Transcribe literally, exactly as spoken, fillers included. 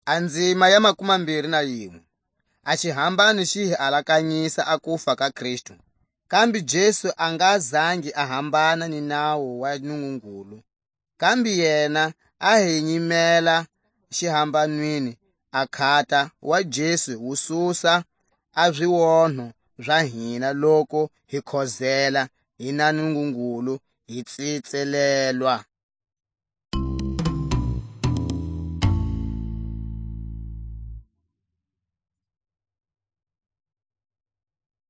A nzima ya makumambiri na yinwe. A xihambano xi hi alakanyisa a kufa ka Kristu, kambe Jesu a nga zangi a hambana ni nawu wa Nungungulu. Kambe yena a hi nyimela xihambanweni, a khata wa Jesu wu susa a zionho za hina, loku hi khozela, hi na Nungungulu, hi tsitselelwa.